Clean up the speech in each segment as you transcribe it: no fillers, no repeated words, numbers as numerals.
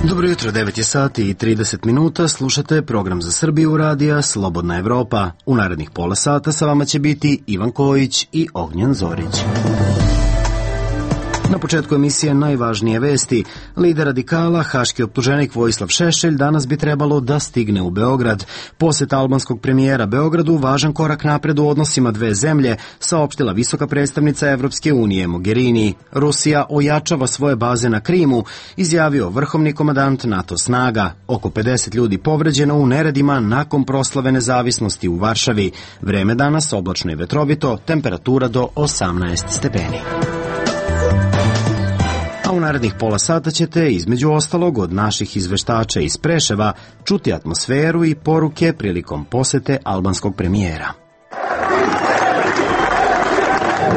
Dobro jutro, 9 je sati i 30 minuta, slušate program za Srbiju radija Slobodna Evropa. U narednih pola sata sa vama će biti Ivan Kojić i Ognjen Zorić. Na početku emisije najvažnije vesti. Lider radikala, haški optuženik Vojislav Šešelj, danas bi trebalo da stigne u Beograd. Poseta albanskog premijera Beogradu važan korak napred u odnosima dve zemlje, saopštila visoka predstavnica Evropske unije Mogherini. Rusija ojačava svoje baze na Krimu, izjavio vrhovni komandant NATO snaga. Oko 50 ljudi povređeno u neredima nakon proslave nezavisnosti u Varšavi. Vreme danas oblačno i vetrovito, temperatura do 18 stepeni. A u narednih pola sata ćete, između ostalog, od naših izveštača iz Preševa čuti atmosferu i poruke prilikom posete albanskog premijera.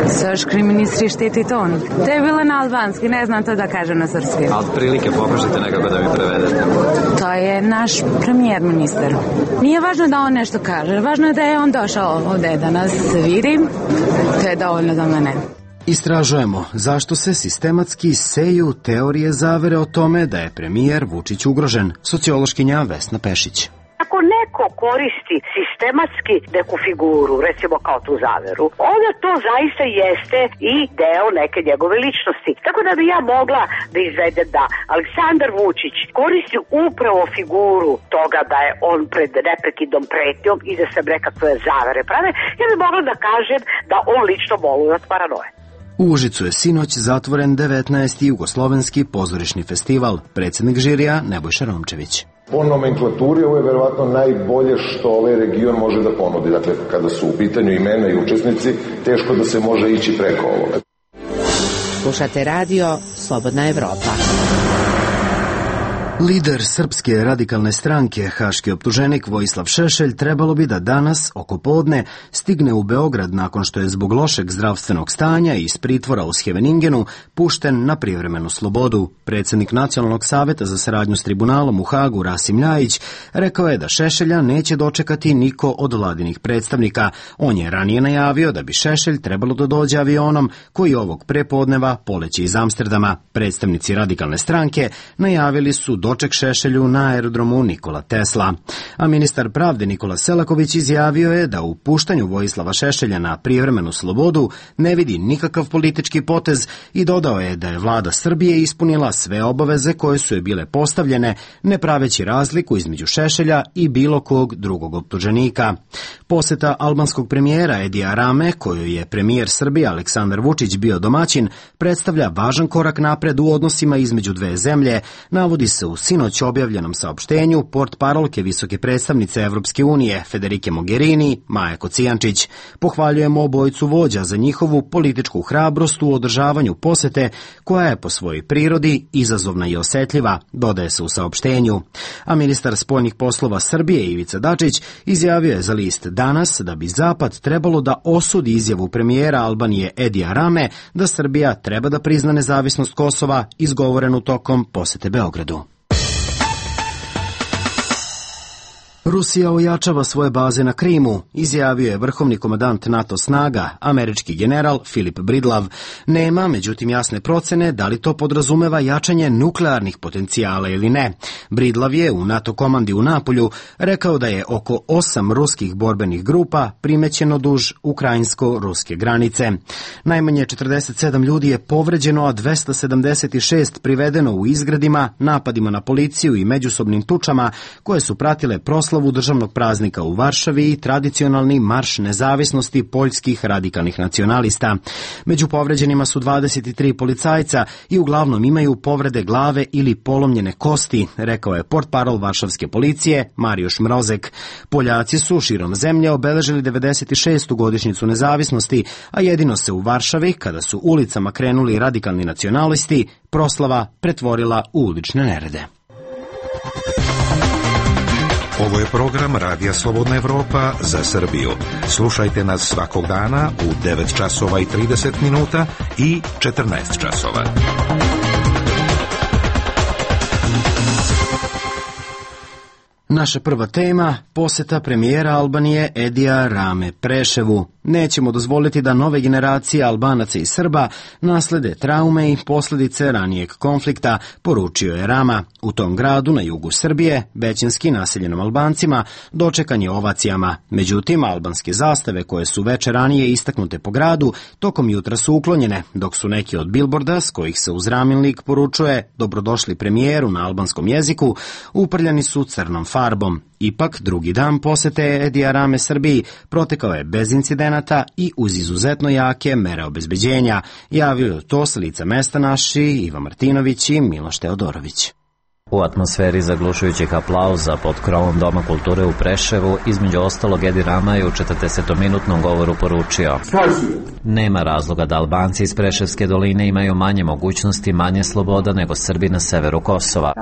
Srpski ministri štiti ton. To je bilo na albanski, ne znam to da kažem na srpski. A od prilike pokušajte nekako da mi prevedete. To je naš premijer ministar. Nije važno da on nešto kaže, važno je da je on došao ovde da nas vidi. To je dovoljno za mene. Istražujemo zašto se sistematski seju teorije zavere o tome da je premijer Vučić ugrožen. Sociološkinja Vesna Pešić. Ako neko koristi sistematski neku figuru, recimo kao tu zaveru, onda to zaista jeste i deo neke njegove ličnosti. Tako da bi ja mogla da izvedem da Aleksandar Vučić koristi upravo figuru toga da je on pred neprekidnom pretnjom i da se nekakve zavere prave, ja bi mogla da kažem da on lično boluje od paranoje. U Užicu je sinoć zatvoren 19. jugoslovenski pozorišni festival. Predsjednik žirija Nebojša Romčević. Po nomenklaturi ovo je verovatno najbolje što ovaj region može da ponudi. Dakle, kada su u pitanju imena i učesnici, teško da se može ići preko ovoga. Slušate radio Slobodna Evropa. Lider Srpske radikalne stranke, haški optuženik Vojislav Šešelj, trebalo bi da danas, oko podne, stigne u Beograd nakon što je zbog lošeg zdravstvenog stanja iz pritvora u Scheveningenu pušten na privremenu slobodu. Predsjednik Nacionalnog saveta za saradnju s tribunalom u Hagu, Rasim Ljajić, rekao je da Šešelja neće dočekati niko od vladinih predstavnika. On je ranije najavio da bi Šešelj trebalo da dođe avionom koji ovog prepodneva poleće iz Amsterdama. Predstavnici radikalne stranke najavili su doček Šešelju na aerodromu Nikola Tesla. A ministar pravde Nikola Selaković izjavio je da u puštanju Vojislava Šešelja na privremenu slobodu ne vidi nikakav politički potez i dodao je da je vlada Srbije ispunila sve obaveze koje su joj bile postavljene, ne praveći razliku između Šešelja i bilo kog drugog optuženika. Poseta albanskog premijera Edija Rame, kojoj je premijer Srbije Aleksandar Vučić bio domaćin, predstavlja važan korak napred u odnosima između dve zemlje, navodi se u sinoć objavljenom saopštenju portparolke visoke predstavnice Evropske unije Federike Mogherini, Maje Kocijančić. Pohvaljujemo obojicu vođa za njihovu političku hrabrost u održavanju posete, koja je po svojoj prirodi izazovna i osetljiva, dodaje se u saopštenju. A ministar spoljnih poslova Srbije Ivica Dačić izjavio je za list Danas da bi Zapad trebalo da osudi izjavu premijera Albanije Edija Rame da Srbija treba da prizna nezavisnost Kosova, izgovorenu tokom posete Beogradu. Rusija ojačava svoje baze na Krimu, izjavio je vrhovni komandant NATO snaga, američki general Filip Bridlav. Nema, međutim, jasne procene da li to podrazumeva jačanje nuklearnih potencijala ili ne. Bridlav je u NATO komandi u Napolju rekao da je oko 8 ruskih borbenih grupa primećeno duž ukrajinsko-ruske granice. Najmanje 47 ljudi je povređeno, a 276 privedeno u izgredima, napadima na policiju i međusobnim tučama koje su pratile proslavu državnog praznika u Varšavi i tradicionalni marš nezavisnosti poljskih radikalnih nacionalista. Među povređenima su 23 policajca i uglavnom imaju povrede glave ili polomljene kosti, rekao je portparol varšavske policije Marijuš Mrozek. Poljaci su širom zemlje obeležili 96. godišnjicu nezavisnosti, a jedino se u Varšavi, kada su ulicama krenuli radikalni nacionalisti, proslava pretvorila u ulične nerede. Ovo je program Radija Slobodna Evropa za Srbiju. Slušajte nas svakog dana u 9 časova i 30 minuta i 14 časova. Naša prva tema, poseta premijera Albanije Edija Rame Preševu. Nećemo dozvoliti da nove generacije Albanaca i Srba naslede traume i posljedice ranijeg konflikta, poručio je Rama. U tom gradu na jugu Srbije, većinski naseljenom Albancima, dočekan je ovacijama. Međutim, albanske zastave koje su veče ranije istaknute po gradu, tokom jutra su uklonjene, dok su neki od bilborda, s kojih se uz Ramin poručuje dobrodošli premijeru na albanskom jeziku, uprljani su crnom farbom. Ipak, drugi dan posete Edija Rame Srbiji protekao je bez incidenata i uz izuzetno jake mere obezbeđenja, javio to s lica mesta naši Iva Martinović i Miloš Teodorović. U atmosferi zaglušujućih aplauza pod krovom Doma kulture u Preševu, između ostalog Edi Rama je u 40-minutnom govoru poručio: nema razloga da Albanci iz Preševske doline imaju manje mogućnosti, manje sloboda nego Srbi na severu Kosova.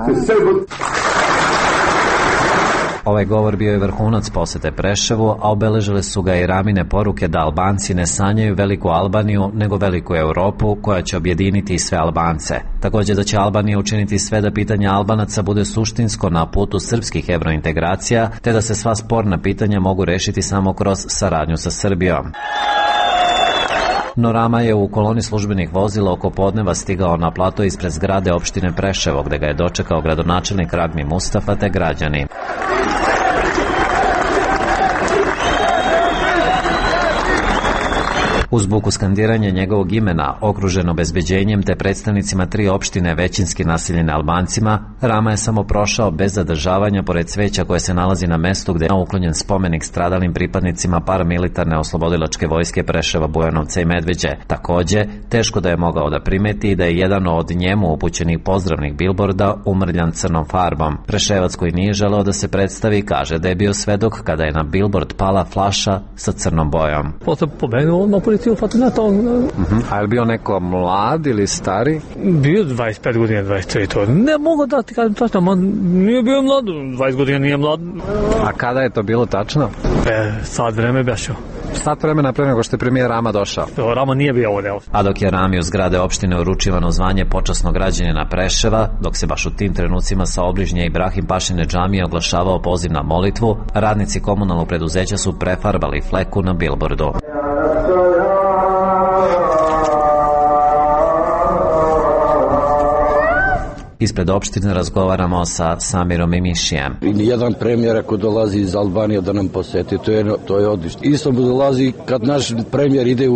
Ovaj govor bio je vrhunac posete Preševu, a obeležile su ga i Ramine poruke da Albanci ne sanjaju veliku Albaniju, nego veliku Europu koja će objediniti sve Albance. Također da će Albanija učiniti sve da pitanje Albanaca bude suštinsko na putu srpskih evrointegracija, te da se sva sporna pitanja mogu rešiti samo kroz saradnju sa Srbijom. No Rama je u koloni službenih vozila oko podneva stigao na plato ispred zgrade opštine Preševo, gde ga je dočekao gradonačelnik Ragmi Mustafa te građani. Uz buku skandiranja njegovog imena, okruženo obezbeđenjem te predstavnicima 3 opštine većinski naseljene Albancima, Rama je samo prošao bez zadržavanja pored cveća koje se nalazi na mestu gde je uklonjen spomenik stradalim pripadnicima paramilitarne oslobodilačke vojske Preševa, Bujanovca i Medveđe. Takođe, teško da je mogao da primeti da je jedan od njemu upućenih pozdravnih bilborda umrljan crnom farbom. Preševac koji nije želeo da se predstavi kaže da je bio svedok kada je na bilbord pala flaša sa crnom bojom. Potom pobenuo na policiju. A je li bio neko mlad ili stari? Bio 25 godina, 23, to ne mogu da ti kažem tačno, nije bio mlad, 20 godina nije mlad. A kada je to bilo tačno? Sad vreme bešao. Sat vremena pre nego što je premijer Rama došao. Rama nije bio ovdje. A dok je Rami u zgrade opštine uručivano zvanje počasnog građanina Preševa, dok se baš u tim trenucima sa obližnje Ibrahim Pašine džamije oglašavao poziv na molitvu, radnici komunalnog preduzeća su prefarbali fleku na bilbordu. Ispred opštine razgovaramo sa Samirom i Mišijem. Jedan premijer ako dolazi iz Albanije da nam poseti, to je odlično. Isto dolazi kad naš premijer ide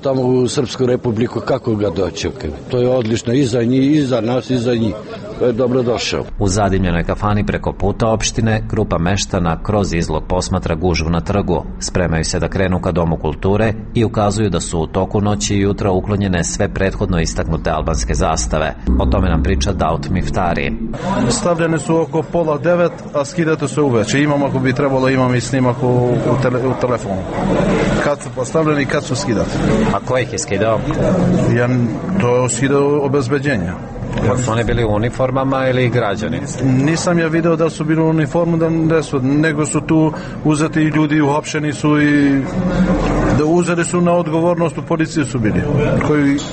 tamo u Srpsku republiku, kako ga dočekaju. To je odlično i za njih, i za nas, i za njih. To je dobro došao. U zadimljenoj kafani preko puta opštine, grupa meštana kroz izlog posmatra gužvu na trgu. Spremaju se da krenu ka Domu kulture i ukazuju da su u toku noći i jutra uklonjene sve prethodno istaknute albanske zastave. O tome nam priča Daut Miftari. Stavljene su oko 8:30, a skidate se uveče. Imam, ako bi trebalo, imam i snimak u telefonu. Kad su postavljeni i kad su skidati. A ko ih je skidao? To skidao obezbeđenja. Su oni bili u uniformama ili građani? Nisam ja video da su bili u uniformu, nego su tu uzeti ljudi, uhapšeni su i da uzeli su na odgovornost, u policiji su bili,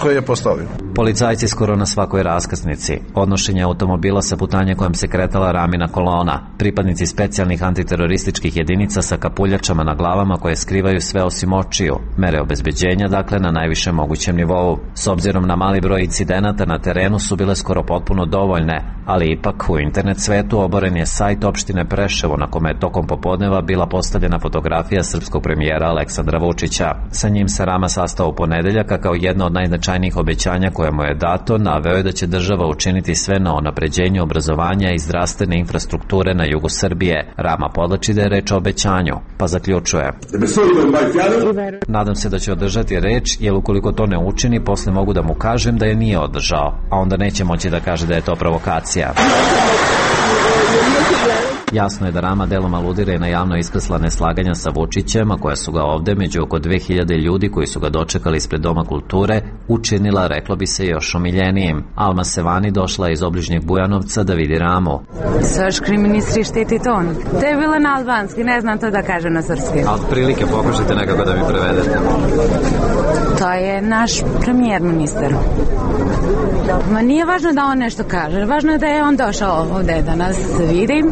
koji je postavio. Policajci skoro na svakoj raskrsnici. Odnošenje automobila sa putanje kojom se kretala Ramina kolona. Pripadnici specijalnih antiterorističkih jedinica sa kapuljačama na glavama koje skrivaju sve osim očiju. Mere obezbeđenja, dakle, na najvišem mogućem nivou. S obzirom na mali broj incidenata na terenu su bile skoro potpuno dovoljne, ali ipak u internet svetu oboren je sajt opštine Preševo na kome je tokom popodneva bila postavljena fotografija srpskog premijera Aleksandra Vučića. Sa njim se Rama sastao u ponedeljak, a kao jedno od najznačajnijih obećanja koje mu je dato, naveo je da će država učiniti sve na unapređenju obrazovanja i zdravstvene infrastrukture na jugu Srbije. Rama podlači da je reč o obećanju, pa zaključuje: nadam se da će održati reč, jer ukoliko to ne učini, posle mogu da mu kažem da je nije održao, a onda neće moći da kaže da je to provokacija. Jasno je da Rama delom aludira i na javno iskrsla neslaganja sa Vučićem, a koja su ga ovde, među oko 2000 ljudi koji su ga dočekali ispred Doma kulture, učinila, reklo bi se, još omiljenijim. Alma Sevani došla je iz obližnjeg Bujanovca da vidi Ramu. Srpski ministri štiti ton. To je bilo na albanski, ne znam to da kažem na srpski. A od prilike pokušajte nekako da mi prevedete. To je naš premijer ministar. Ma nije važno da on nešto kaže, važno je da je on došao ovde da nas vidi.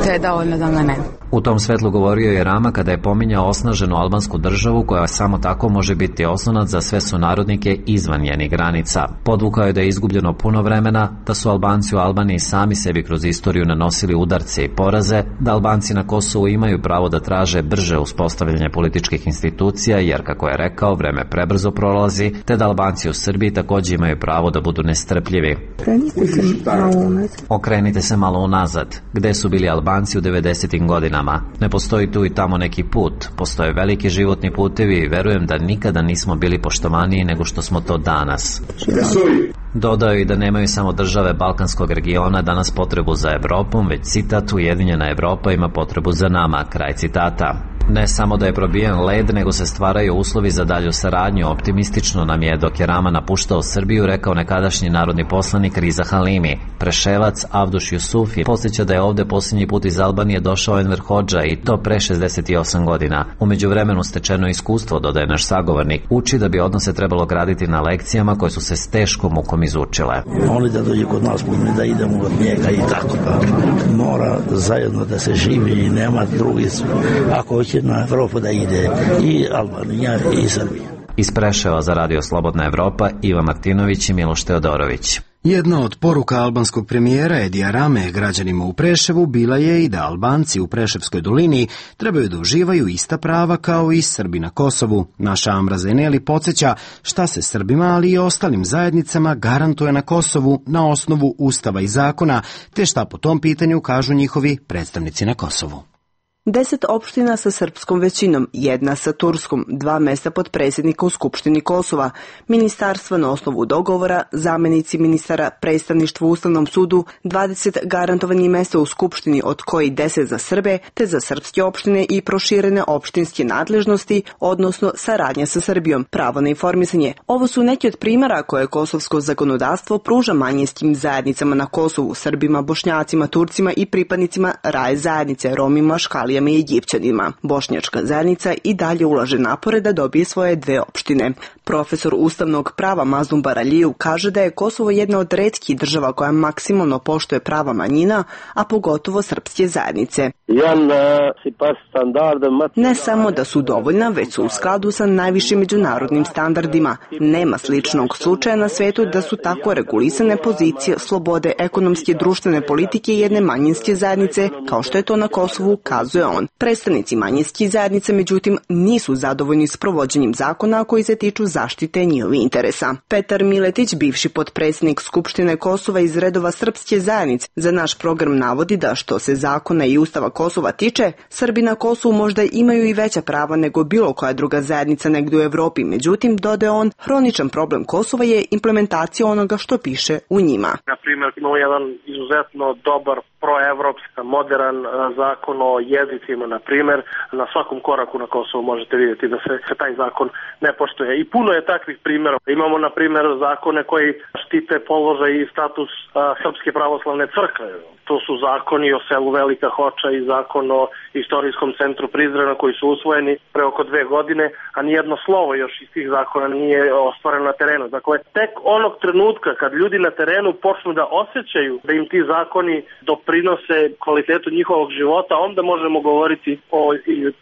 to je dovoljno za mene. U tom svetlu govorio je Rama kada je pominjao osnaženu albansku državu koja samo tako može biti oslonac za sve sunarodnike izvan njenih granica. Podvukao je da je izgubljeno puno vremena, da su Albanci u Albaniji sami sebi kroz istoriju nanosili udarce i poraze, da Albanci na Kosovu imaju pravo da traže brže uspostavljanje političkih institucija, jer, kako je rekao, vreme prebrzo prolazi, te da Albanci u Srbiji takođe imaju pravo da budu nestrpljivi. Okrenite se malo unazad. Gde su bili Albanci u 90. godinama? Ne postoji tu i tamo neki put. Postoje veliki životni putevi i verujem da nikada nismo bili poštovaniji nego što smo to danas. Dodao je i da nemaju samo države Balkanskog regiona danas potrebu za Evropom, već citat, Ujedinjena Evropa ima potrebu za nama, kraj citata. Ne samo da je probijen led, nego se stvaraju uslovi za dalju saradnju. Optimistično nam je, dok je Rama napuštao Srbiju, rekao nekadašnji narodni poslanik Riza Halimi. Preševac Avduš Jusufi podsjeća da je ovde posljednji put iz Albanije došao Enver Hodža, i to pre 68 godina. U međuvremenu stečeno iskustvo, dodaje naš sagovornik, uči da bi odnose trebalo graditi na lekcijama koje su se s teškom mukom izučile. Oni da dođe kod nas, da idemo od njega i tako da mora zajedno da se živi i nema drugi. Ako hoće na Evropu da ide i Albanija i Srbija. Iz Preševa za Radio Slobodna Evropa, Iva Martinović i Miloš Teodorović. Jedna od poruka albanskog premijera Edija Rame građanima u Preševu bila je i da Albanci u Preševskoj dolini trebaju da uživaju ista prava kao i Srbi na Kosovu. Naša Amra Zeneli podsjeća šta se Srbima, ali i ostalim zajednicama garantuje na Kosovu na osnovu ustava i zakona, te šta po tom pitanju kažu njihovi predstavnici na Kosovu. 10 opština sa srpskom većinom, 1 sa turskom, 2 mesta potpredsjednika u Skupštini Kosova, ministarstva na osnovu dogovora, zamenici ministara, predstavništvo u Ustavnom sudu, 20 garantovanih mesta u Skupštini, od koji 10 za Srbe, te za srpske opštine i proširene opštinske nadležnosti, odnosno saradnja sa Srbijom, pravo na informisanje. Ovo su neki od primjera koje kosovsko zakonodavstvo pruža manjinskim zajednicama na Kosovu, Srbima, Bošnjacima, Turcima i pripadnicima raje zajednice, Romima, Škalijama i Egipćanima. Bošnjačka zajednica i dalje ulaže napore da dobije svoje 2 opštine. Profesor ustavnog prava Mazlum Baraliju kaže da je Kosovo jedna od retkih država koja maksimalno poštuje prava manjina, a pogotovo srpske zajednice. Ne samo da su dovoljna, već su u skladu sa najvišim međunarodnim standardima. Nema sličnog slučaja na svetu da su tako regulisane pozicije slobode ekonomske i društvene politike jedne manjinske zajednice, kao što je to na Kosovu, kazuje on. Predstavnici manjinskih zajednica, međutim, nisu zadovoljni s provođenjem zakona koji se tiču zaštite njihovih interesa. Petar Miletić, bivši potpredsjednik Skupštine Kosova iz redova srpske zajednice, za naš program navodi da što se zakona i ustava Kosova tiče, Srbi na Kosovu možda imaju i veća prava nego bilo koja druga zajednica negdje u Evropi. Međutim, dodaje on, hroničan problem Kosova je implementacija onoga što piše u njima. Na primjer, imamo jedan izuzetno dobar proevropski, modern zakon o jezicima, na primjer. Na svakom koraku na Kosovu možete vidjeti da se taj zakon ne poštuje. I puno je takvih primjera. Imamo, na primjer, zakone koji štite položaj i status Srpske pravoslavne crkve. To su zakoni o selu Velika Hoča i zakon o istorijskom centru Prizrena koji su usvojeni pre oko 2 godine, a nijedno slovo još iz tih zakona nije ostvareno na terenu. Dakle, tek onog trenutka kad ljudi na terenu počnu da osjećaju da im ti zakoni doprinose kvalitetu njihovog života, onda možemo govoriti o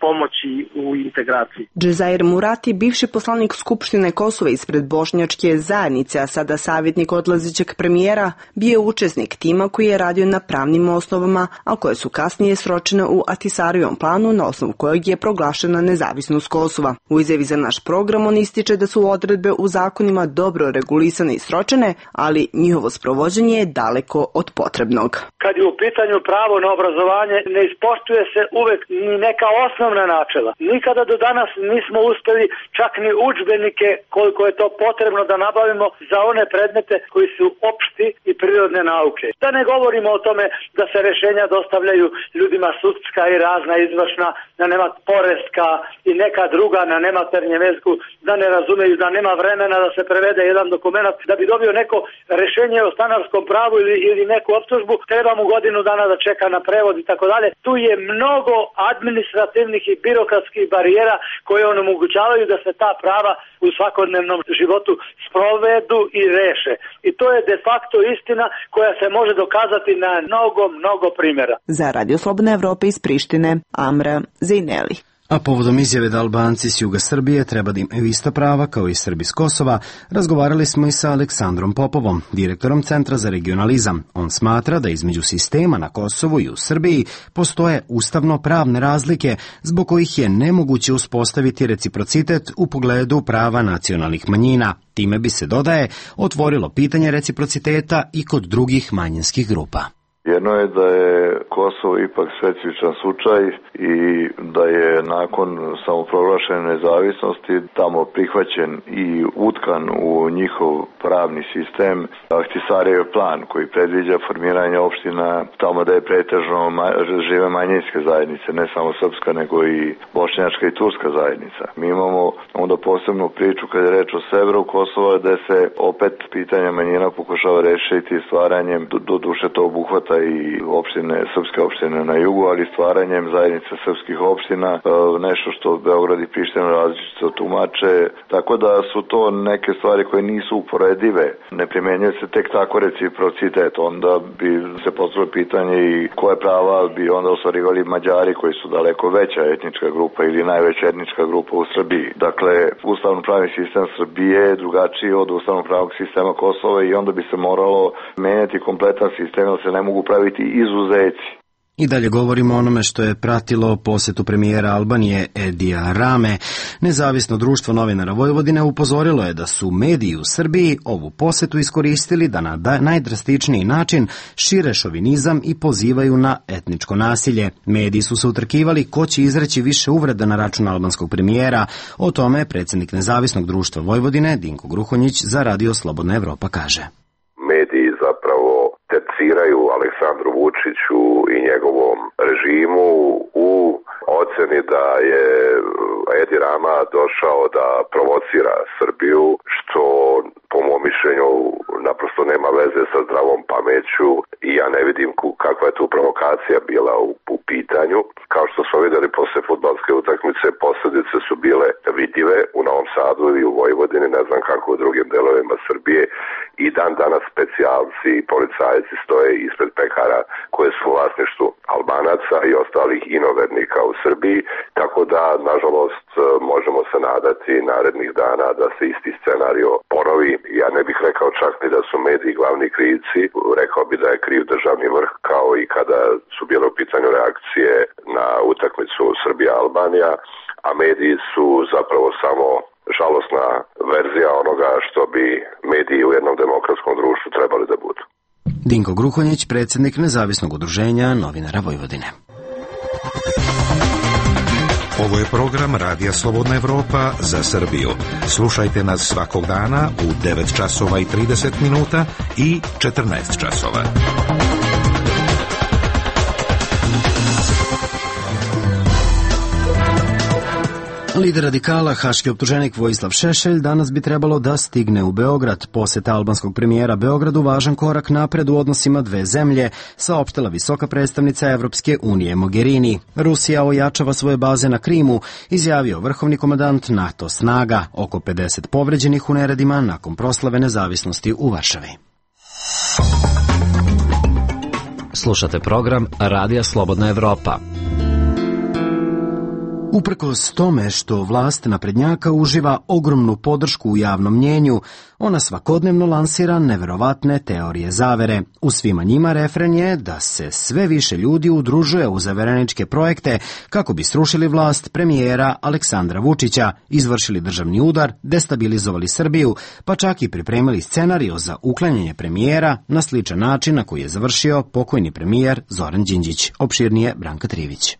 pomoći u integraciji. Džezair Murati, bivši poslanik Skupštine Kosova ispred Bošnjačke zajednice, a sada savjetnik odlazećeg premijera, bio učesnik tima koji je radio na pravnim osnovama, a koje su kasnije sročene u Atisarijevom planu na osnovu kojeg je proglašena nezavisnost Kosova. U izjavi za naš program on ističe da su odredbe u zakonima dobro regulisane i sročene, ali njihovo sprovođenje je daleko od potrebnog. Kad je u pitanju pravo na obrazovanje, ne ispoštuje se uvek ni neka osnovna načela. Nikada do danas nismo uspeli čak ni udžbenike koliko je to potrebno da nabavimo za one predmete koji su opšti i prirodne nauke. Da ne govorimo o tome da se rešenja dostavljaju ljudima sudska i razna izvršna, da nema poreska i neka druga na nematernjem jeziku, da ne razumeju, da nema vremena da se prevede jedan dokument, da bi dobio neko rešenje o stanarskom pravu ili neku optužbu, treba mu godinu dana da čeka na prevod i tako dalje. Tu je mnogo administrativnih i birokratskih barijera koje onemogućavaju da se ta prava u svakodnevnom životu sprovedu i reše. I to je de facto istina koja se može dokazati na mnogo primjera. Za Radio Slobodna Evropa iz Prištine, Amra Zejneli. A povodom izjave da Albanci s juga Srbije treba da imaju ista prava kao i Srbi s Kosova, razgovarali smo i sa Aleksandrom Popovom, direktorom Centra za regionalizam. On smatra da između sistema na Kosovu i u Srbiji postoje ustavno-pravne razlike zbog kojih je nemoguće uspostaviti reciprocitet u pogledu prava nacionalnih manjina. Time bi se, dodaje, otvorilo pitanje reciprociteta i kod drugih manjinskih grupa. Jedno je da je Kosovo ipak specifičan slučaj i da je nakon samoproglašene nezavisnosti tamo prihvaćen i utkan u njihov pravni sistem Ahtisarijev plan koji predviđa formiranje opština tamo da je pretežno žive manjinske zajednice, ne samo srpska nego i bošnjačka i turska zajednica. Mi imamo onda posebnu priču kad je reč o severu Kosova gde se opet pitanje manjina pokušava rešiti stvaranjem, do duše to obuhvata i opštine, srpske opštine na jugu, ali stvaranjem zajednice srpskih opština, nešto što Beograd i Priština različito tumače, tako da su to neke stvari koje nisu uporedive. Ne primenjuje se tek tako reciprocitet, onda bi se postavilo pitanje i koje prava bi onda ostvarivali Mađari koji su daleko veća etnička grupa ili najveća etnička grupa u Srbiji. Dakle, ustavno-pravni sistem Srbije je drugačiji od ustavno-pravnog sistema Kosova i onda bi se moralo menjati kompletan sistem, jer se ne mogu praviti izuzeci. I dalje govorimo o onome što je pratilo posetu premijera Albanije Edija Rame. Nezavisno društvo novinara Vojvodine upozorilo je da su mediji u Srbiji ovu posetu iskoristili da na najdrastičniji način šire šovinizam i pozivaju na etničko nasilje. Mediji su se utrkivali ko će izreći više uvreda na račun albanskog premijera. O tome predsjednik Nezavisnog društva Vojvodine Dinko Gruhonjić za Radio Slobodna Evropa kaže. Mediji zapravo terciraju Aleksandru Vučiću i njegovom režimu u oceni da je Edi Rama došao da provocira Srbiju, što po mom mišljenju naprosto nema veze sa zdravom pameću i ja ne vidim kakva je tu provokacija bila u pitanju. Kao što smo vidjeli posle fudbalske utakmice, posljedice su bile vidljive u Novom Sadu i u Vojvodini, ne znam kako u drugim delovima Srbije, i dan danas specijalci i policajci stoje ispred pekara koje su u vlasništvu Albanaca i ostalih inovernika u Srbiji, tako da nažalost možemo se nadati narednih dana da se isti scenario ponovi. Ja ne bih rekao čak ni da su mediji glavni krivci, rekao bi da je kriv državni vrh, kao i kada su bile u pitanju reakcije na utakmicu Srbija-Albanija, a mediji su zapravo samo žalosna verzija onoga što bi mediji u jednom demokratskom društvu trebali da budu. Dinko Gruhonjić, predsjednik Nezavisnog udruženja novinara Vojvodine. Ovo je program Radija Slobodna Evropa za Srbiju. Slušajte nas svakog dana u 9 časova i 30 minuta i 14 časova. Lider radikala, haški optuženik Vojislav Šešelj, danas bi trebalo da stigne u Beograd. Poseta albanskog premijera Beogradu važan korak napred u odnosima dve zemlje, saopštila visoka predstavnica Evropske unije Mogherini. Rusija ojačava svoje baze na Krimu, izjavio vrhovni komandant NATO snaga, oko 50 povređenih u neredima nakon proslave nezavisnosti u Varšavi. Slušate program Radija Slobodna Evropa. Uprkos tome što vlast naprednjaka uživa ogromnu podršku u javnom mnjenju, ona svakodnevno lansira neverovatne teorije zavere. U svima njima refren je da se sve više ljudi udružuje u zavereničke projekte kako bi srušili vlast premijera Aleksandra Vučića, izvršili državni udar, destabilizovali Srbiju, pa čak i pripremili scenario za uklanjanje premijera na sličan način na koji je završio pokojni premijer Zoran Đinđić. Opširnije Branka Trivić.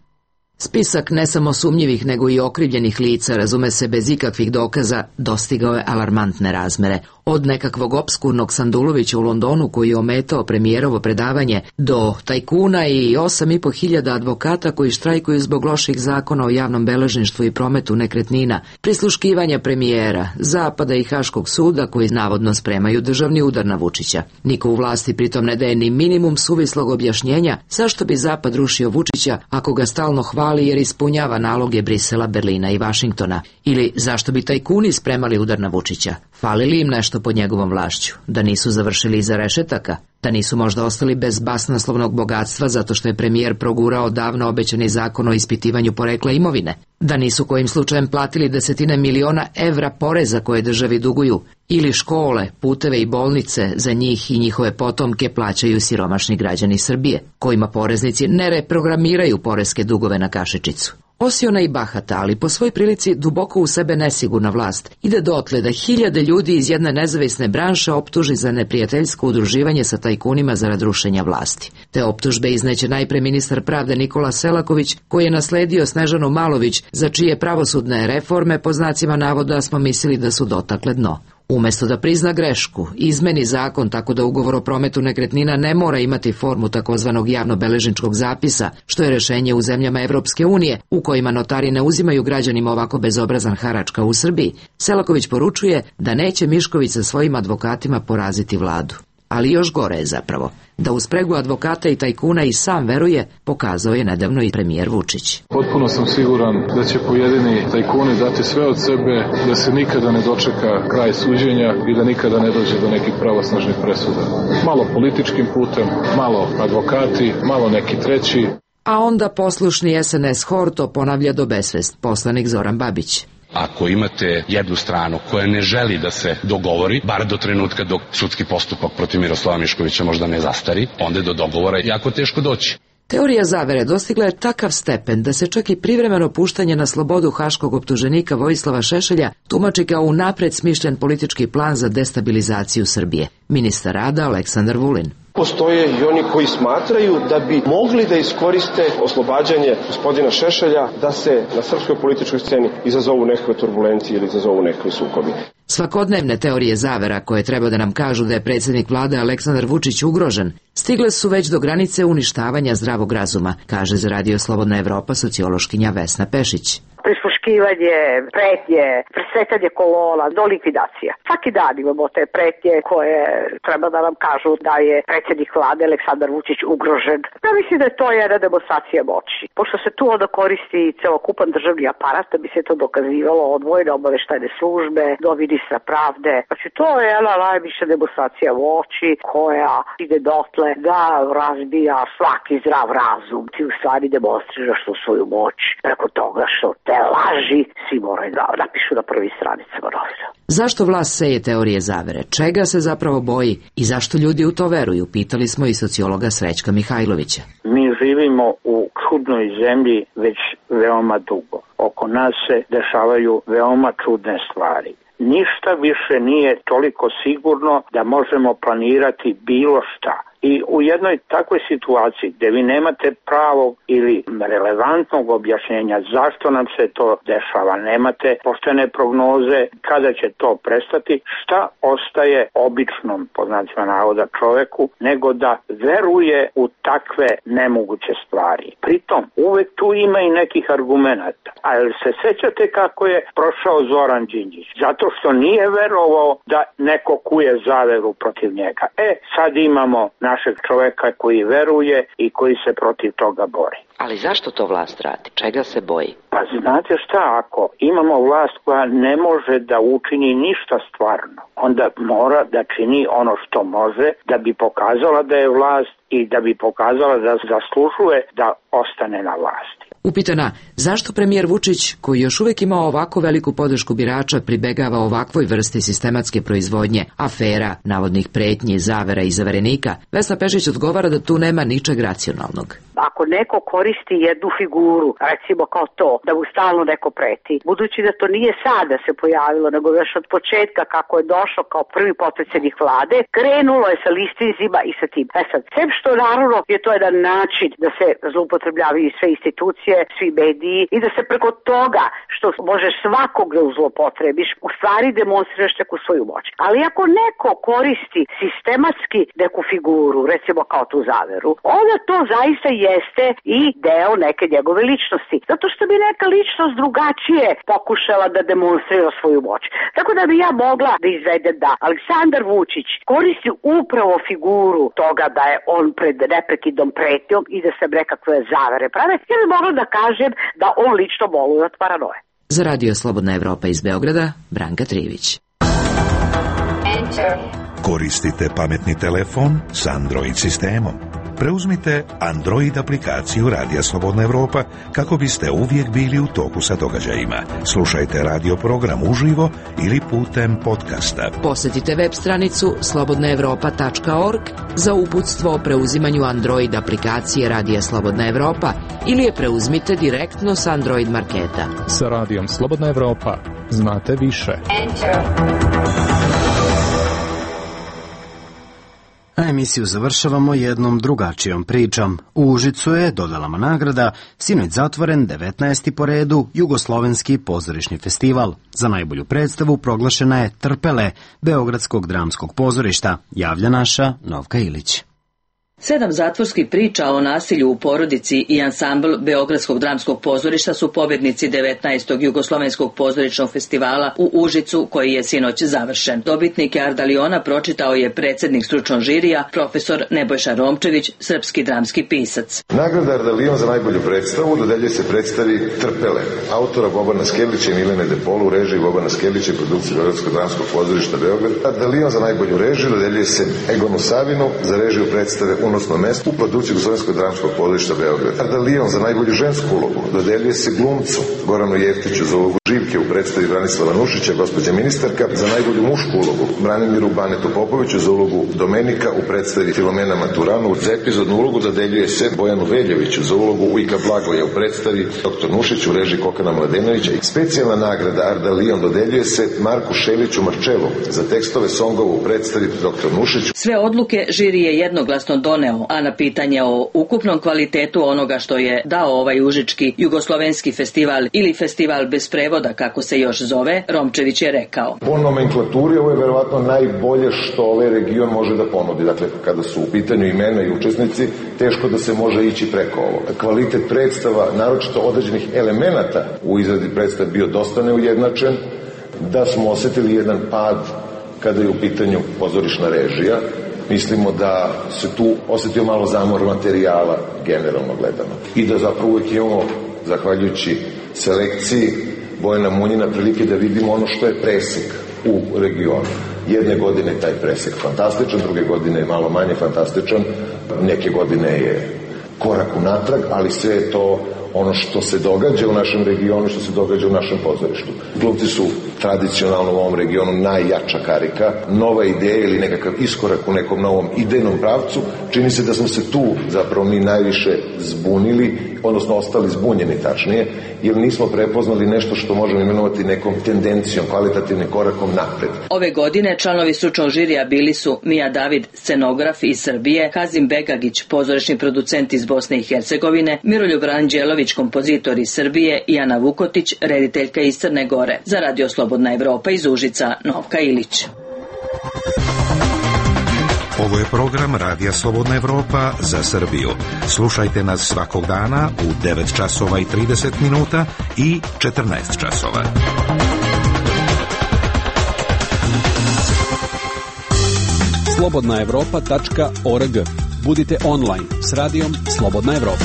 Spisak ne samo sumnjivih nego i okrivljenih lica, razume se bez ikakvih dokaza, dostigao je alarmantne razmere. Od nekakvog opskurnog Sandulovića u Londonu koji je ometao premijerovo predavanje, do tajkuna i 8.500 advokata koji štrajkuju zbog loših zakona o javnom beležništvu i prometu nekretnina, prisluškivanja premijera, Zapada i Haškog suda koji navodno spremaju državni udar na Vučića. Niko u vlasti pritom ne daje ni minimum suvislog objašnjenja zašto bi Zapad rušio Vučića ako ga stalno hvali jer ispunjava naloge Brisela, Berlina i Vašingtona. Ili zašto bi tajkuni spremali udar na Vučića? Fali li im nešto pod njegovom vlašću? Da nisu završili iza rešetaka? Da nisu možda ostali bez basnoslovnog bogatstva zato što je premijer progurao davno obećani zakon o ispitivanju porekla imovine. Da nisu kojim slučajem platili desetine miliona evra poreza koje državi duguju. Ili škole, puteve i bolnice za njih i njihove potomke plaćaju siromašni građani Srbije, kojima poreznici ne reprogramiraju poreske dugove na kašičicu. Osiona i bahata, ali po svoj prilici duboko u sebe nesigurna vlast, ide dotle da hiljade ljudi iz jedne nezavisne branše optuži za neprijateljsko udruživanje sa tajkunima zarad rušenja vlasti. Te optužbe izneće najpre ministar pravde Nikola Selaković, koji je nasledio Snežanu Malović, za čije pravosudne reforme po znacima navoda smo mislili da su dotakle dno. Umesto da prizna grešku, izmeni zakon tako da ugovor o prometu nekretnina ne mora imati formu takozvanog javnobeležničkog zapisa, što je rešenje u zemljama Evropske unije, u kojima notari ne uzimaju građanima ovako bezobrazan harač kao u Srbiji, Selaković poručuje da neće Mišković sa svojim advokatima poraziti vladu. Ali još gore je zapravo, da u spregu advokata i tajkuna i sam veruje, pokazao je nedavno i premijer Vučić. Potpuno sam siguran da će pojedini tajkuni dati sve od sebe, da se nikada ne dočeka kraj suđenja i da nikada ne dođe do nekih pravosnažnih presuda. Malo političkim putem, malo advokati, malo neki treći. A onda poslušni SNS hor to ponavlja do besvest, poslanik Zoran Babić. Ako imate jednu stranu koja ne želi da se dogovori, bar do trenutka dok sudski postupak protiv Miroslava Miškovića možda ne zastari, onda je do dogovora jako teško doći. Teorija zavere dostigla je takav stepen da se čak i privremeno puštanje na slobodu haškog optuženika Vojislava Šešelja tumači kao unapred smišljen politički plan za destabilizaciju Srbije. Ministar rada Aleksandar Vulin. Postoje i oni koji smatraju da bi mogli da iskoriste oslobađanje gospodina Šešelja da se na srpskoj političkoj sceni izazovu nekakve turbulencije ili izazovu nekakve sukobi. Svakodnevne teorije zavera koje treba da nam kažu da je predsjednik vlade Aleksandar Vučić ugrožen, stigle su već do granice uništavanja zdravog razuma, kaže za Radio Slobodna Evropa sociološkinja Vesna Pešić. Prisluškivanje, pretnje, presretanje kolona do likvidacija. Svaki dan imamo te pretnje koje treba da nam kažu da je predsjednik vlade Aleksandar Vučić ugrožen. Ja mislim da je to jedna demonstracija moći. Pošto se tu onda koristi celokupan državni aparat da bi se to dokazivalo od vojne obaveštajne službe do ministra pravde. Znači to je jedna najviša demonstracija moći koja ide dotle da razbija svaki zdrav razum. Ti u stvari demonstriraš tu svoju moć preko toga što te laži svi moraju da napišu na prvi stranicama novina. Zašto vlast seje teorije zavere? Čega se zapravo boji i zašto ljudi u to veruju? Pitali smo i sociologa Srećka Mihajlovića. Mi živimo u čudnoj zemlji već veoma dugo. Oko nas se dešavaju veoma čudne stvari. Ništa više nije toliko sigurno da možemo planirati bilo šta. I u jednoj takvoj situaciji gdje vi nemate pravog ili relevantnog objašnjenja zašto nam se to dešava, nemate poštene prognoze kada će to prestati, šta ostaje običnom, po znacima navoda, čoveku, nego da veruje u takve nemoguće stvari. Pritom, uvek tu ima i nekih argumenata. A jel se sećate kako je prošao Zoran Đinđić? Zato što nije verovao da neko kuje zaveru protiv njega. Sad imamo našeg čoveka koji veruje i koji se protiv toga bori. Ali zašto to vlast radi? Čega se boji? Pa znate šta, ako imamo vlast koja ne može da učini ništa stvarno, onda mora da čini ono što može da bi pokazala da je vlast i da bi pokazala da zaslužuje da ostane na vlasti. Upitana zašto premijer Vučić, koji još uvijek ima ovako veliku podršku birača, pribegava ovakvoj vrsti sistematske proizvodnje, afera, navodnih pretnji, zavera i zaverenika, Vesna Pešić odgovara da tu nema ničeg racionalnog. Ako neko koristi jednu figuru, recimo kao to, da mu stalno neko preti, budući da to nije sada se pojavilo, nego još od početka kako je došao kao prvi potpredsjednik vlade, krenulo je sa listizima i sa tim. Sad, sem što naravno je to jedan način da se zloupotrebljavaju sve institucije, svi mediji i da se preko toga što možeš svakog da zloupotrebiš, u stvari demonstriraš neku svoju moć. Ali ako neko koristi sistematski neku figuru, recimo kao tu zaveru, onda to zaista jeste i deo neke njegove ličnosti. Zato što bi neka ličnost drugačije pokušala da demonstrira svoju moć. Tako da bi ja mogla da izvedem da Aleksandar Vučić koristi upravo figuru toga da je on pred neprekidnom pretnjom i da se nekakve zavere prave. Ja bi mogla da kažem da on lično boluje od paranoje. Za Radio Slobodna Evropa iz Beograda, Branka Trivić. Koristite pametni telefon s Android sistemom? Preuzmite Android aplikaciju Radija Slobodna Evropa kako biste uvijek bili u toku sa događajima. Slušajte radio program uživo ili putem podcasta. Posjetite web stranicu slobodnaevropa.org za uputstvo o preuzimanju Android aplikacije Radija Slobodna Evropa ili je preuzmite direktno s Android marketa. Sa Radijom Slobodna Evropa znate više. A emisiju završavamo jednom drugačijom pričom. U Užicu je dodelama nagrada sinoć zatvoren 19. po redu Jugoslovenski pozorišni festival. Za najbolju predstavu proglašena je Trpele Beogradskog dramskog pozorišta, javlja naša Novka Ilić. 7 zatvorskih priča o nasilju u porodici i ansambl Beogradskog dramskog pozorišta su pobjednici 19. Jugoslovenskog pozorišnog festivala u Užicu, koji je sinoć završen. Dobitnike Ardaliona pročitao je predsjednik stručnog žirija, profesor Nebojša Romčević, srpski dramski pisac. Nagrada Ardalion za najbolju predstavu dodeljuje se predstavi Trpele, autora Bobana Skeljića i Milene Depolu, u režiji Bobana Skeljića i produkciji Beogradskog dramskog pozorišta Beograd. Ardalion za najbolju režiju dodeljuje se Egonu Savinu, za režiju predstave Unosno mesto u produkciji Jugoslovenskog dramskog pozorišta Beograd. Ardalion za najbolju žensku ulogu dodeljuje se glumcu Goranu Jeftiću za ulogu Živke u predstavi Branislava Nušića, gospođa ministarka, za najbolju mušku ulogu Branimiru Banetu Popoviću za ulogu Domenika u predstavi Filomena Maturanu. Za epizodnu ulogu dodeljuje se Bojanu Veljoviću za ulogu Ujka Blagoja u predstavi Dr. Nušić u režiji Kokana Mladenovića. Specijalna nagrada Ardalion dodeljuje se Marku Šeliću Marčevu za tekstove songova u predstavi Dr. Nušić. Sve odluke žiri je jednoglasno doneo, a na pitanje o ukupnom kvalitetu onoga što je dao ovaj užički jugoslovenski festival ili festival bez prevoda, kako se još zove, Romčević je rekao. Po nomenklaturi ovo je verovatno najbolje što ovaj region može da ponudi. Dakle, kada su u pitanju imena i učesnici, teško da se može ići preko ovo. Kvalitet predstava, naročito određenih elemenata u izradi predstava bio dosta neujednačen, da smo osetili jedan pad kada je u pitanju pozorišna režija. Mislimo da se tu osetio malo zamor materijala, generalno gledano. I da zapravo uvijek imamo, zahvaljujući selekciji Bojana Munjina, prilike da vidimo ono što je presek u regionu. Jedne godine je taj presek fantastičan, druge godine je malo manje fantastičan, neke godine je korak unatrag, ali sve je to ono što se događa u našem regionu, što se događa u našem pozorištu. Glumci su tradicionalno u ovom regionu najjača karika, nova ideja ili nekakav iskorak u nekom novom idejnom pravcu. Čini se da smo se tu zapravo mi najviše zbunili, odnosno ostali zbunjeni tačnije, jer nismo prepoznali nešto što možemo imenovati nekom tendencijom, kvalitativnim korakom napred. Ove godine članovi stručnog žirija bili su Mija David, scenograf iz Srbije, Kazim Begagić, pozorišni producent iz Bosne i Hercegovine, Miroljub Ranđelović, kompozitor iz Srbije i Ana Vukotić, rediteljka iz Crne Gore. Za Radio Slobodna Evropa iz Užica, Novka Ilić. Ovo je program Radija Slobodna Evropa za Srbiju. Slušajte nas svakog dana u 9 časova i 30 minuta i 14 časova. slobodnaevropa.org. Budite online s radijom Slobodna Evropa.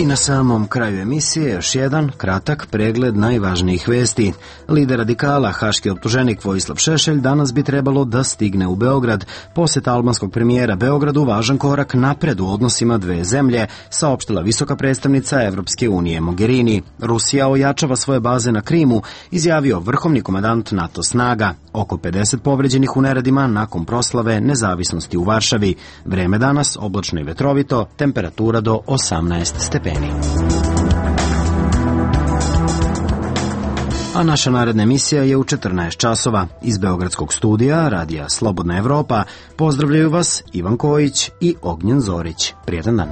I na samom kraju emisije još jedan kratak pregled najvažnijih vesti. Lider radikala, haški optuženik Vojislav Šešelj, danas bi trebalo da stigne u Beograd. Posjet albanskog premijera Beogradu važan korak napred u odnosima dve zemlje, saopštila visoka predstavnica Evropske unije Mogherini. Rusija ojačava svoje baze na Krimu, izjavio vrhovni komandant NATO snaga. Oko 50 povređenih u neredima nakon proslave nezavisnosti u Varšavi. Vreme danas oblačno i vetrovito, temperatura do 18 stepeni. A naša naredna emisija je u 14 časova. Iz Beogradskog studija Radija Slobodna Evropa pozdravljaju vas Ivan Kojić i Ognjen Zorić. Prijetan dan.